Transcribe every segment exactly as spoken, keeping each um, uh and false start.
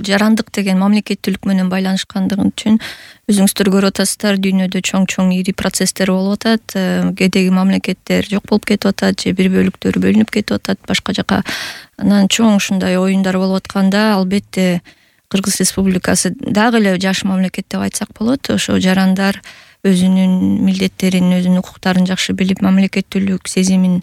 жарандык деген мамлекеттүүлүк менен байланышкандыгы үчүн өзүңүздөр көрүп атасыздар, дүйнөдө чоң-чоң ири процесстер болуп атат, кээдеги мамлекеттер жок болуп кетип атат же бир бөлүктөрү бөлүнүп кетип атат башка жака. Анан чоң ушундай оюндар болуп атканда албетте Кыргыз Республикасы дагы эле жаш мамлекет деп айтсак болот. Ошо жарандар өзүнүн милдеттерин, өзүнүн укуктарын жакшы билип, мамлекеттүүлүк сезимин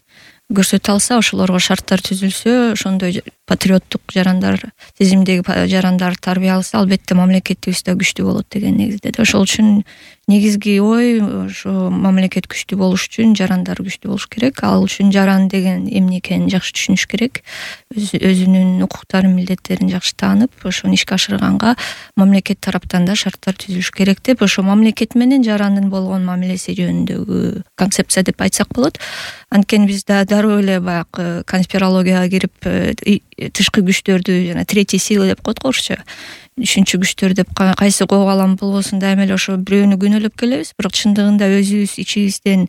көрсөтө алса, ошолорго шарттар түзүлсө, ошондой патриоттук жарандар, сезимдеги жарандар тарбия алса, албетте мамлекетибиз да күчтүү болот деген негизде. Ошол үчүн негизги ой ошо мамлекет күчтүү болуш үчүн жарандар күчтүү болуш керек. Ал үчүн жаран деген эмне экенин жакшы түшүнүш керек. Өзүнүн укуктарын, милдеттерин жакшы таанып, ошону ишке ашырганга мамлекет тараптан да шарттар түзүлүш керек деп, ошо мамлекет менен жарандын болгон мамилеси жөнүндөгү концепция деп айтсак болот. Анткени биз да дароо эле баягы конспирологияга кирип, тышкы күчтөрдү жана третий сила деп коет го орусча. Үчүнчү күчтөр деп кайсы коогалам болбосун дайыма эле ошо бирөөнү күнөөлөп келебиз, бирок чындыгында өзүбүз ичибизден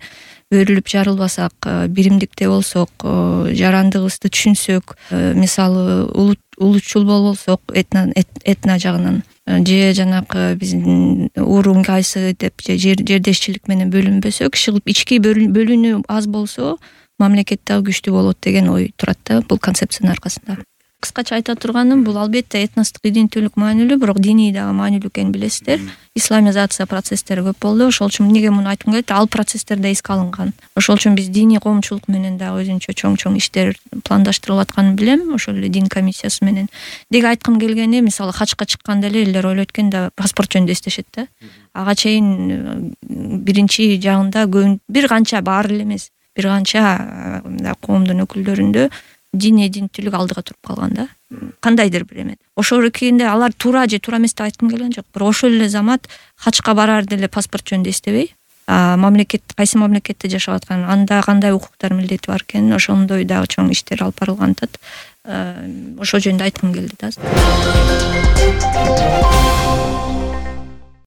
өрүлүп жарылбасак, биримдикте болсок, жарандыгыбызды түшүнсөк, мисалы улутчул болбосок этно этно жагынан же жанакы биздин урун кайсы деп же жердешчилик менен бөлүнбөсөк, ички бөлүнүү аз болсо мамлекет дагы күчтүү болот деген ой турат да бул концепциянын аркасында. Кыскача айта турганым, бул албетте этностук иденттүүлүк маанилүү, бирок диний дагы маанилүү экенин билесиздер. Исламизация процесстери көп болду. Ошол үчүн эмнеге муну айткым келет? Ал процесстер да эске алынган. Ошол үчүн биз диний коомчулук менен дагы өзүнчө чоң-чоң иштер пландаштырылып атканын билем, ошол эле дин комиссиясы менен. Деги айткым келгени, мисалы хачка чыкканда эле элдер ойлойт экен да, паспорт жөнүндө эстешет да. Ага чейин биринчи жагында бир канча, баары эле эмес, бир канча коомдун өкүлдөрүндө дин иденттүүлүк алдыга туруп калган да. Кандайдыр бир эме. Ошол экенде алар туура же туура эмес деп айткым келген жок. Бирок ошол эле замат хачка бараарда эле паспорт жөнүндө эстебей, мамлекет кайсы мамлекетте жашап аткан, анда кандай укуктар, милдети бар экенин, ошондой дагы чоң иштер алып барылган атат. Ошол жөнүндө айткым келди да.